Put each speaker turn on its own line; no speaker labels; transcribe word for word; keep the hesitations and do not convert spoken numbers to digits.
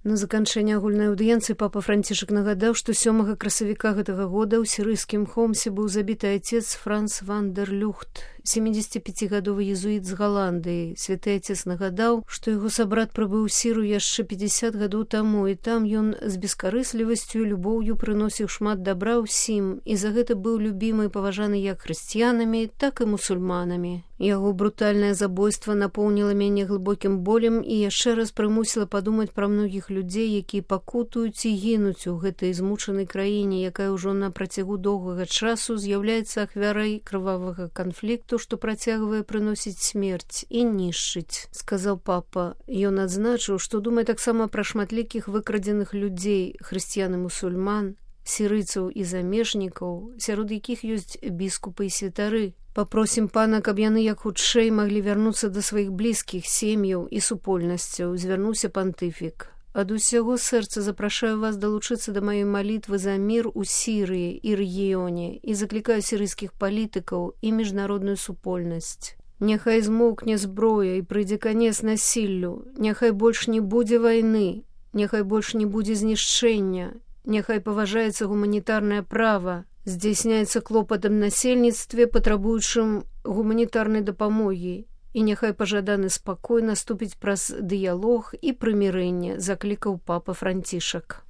На заканчэнне агульнай аўдыенцыі папа Францішак нагадаў, што сёмага красавіка гэтага года ў сірыйскім Хомсе быў забіты отец Франц ван дер Люхт, семидзесятипяцігадовы езуіт з Галандыі. Святы отец нагадаў, што яго сабрат прыбыў у Сірыю яшчэ пятьдесят гадоў таму, і там ён з бескарыслівасцю і любоўю прыносіў шмат дабра ўсім, і за гэта быў любімы і паважаны як хрысціянамі, так і мусульманамі. Яго брутальнае забойства напоўніла мяне глыбокім болем і яшчэ раз прымусіла падумаць пра многіх людзей, якія пакутуюць і гінуць у гэтай змучанай краіне, якая ўжо на працягу доўгага часу з'яўляецца ахвярай крывавага канфлікту, што працягвае прыносіць смерць і нішчыць, сказаў папа. Ён адзначыў, што думае таксама пра шматлікіх выкрадзеных людзей, хрысціян і мусульман, сірыйцаў і замежнікаў, сярод якіх ёсць біскупы і святары. Папросім пана, каб яны як хутчэй маглі вярнуцца да сваіх блізкіх, сем'яў і супольнасцяў, звярнуўся пантыфік. Ад усяго сэрца запрашаю вас далучыцца да маёй малітвы за мір у Сірыі і рэгіёне і заклікаю сірыйскіх палітыкаў і міжнародную супольнасць. Няхай змоўкне зброя і прыйдзе канец насіллю, няхай больш не будзе вайны, няхай больш не будзе знішчэння, няхай паважаецца гуманітарнае права, здзяйсняецца клопат аб насельніцтве, патрабуючым гуманітарнай дапамогі, і няхай пажаданы спакой наступіць праз дыялог і прымірэнне, заклікаў папа Францішак.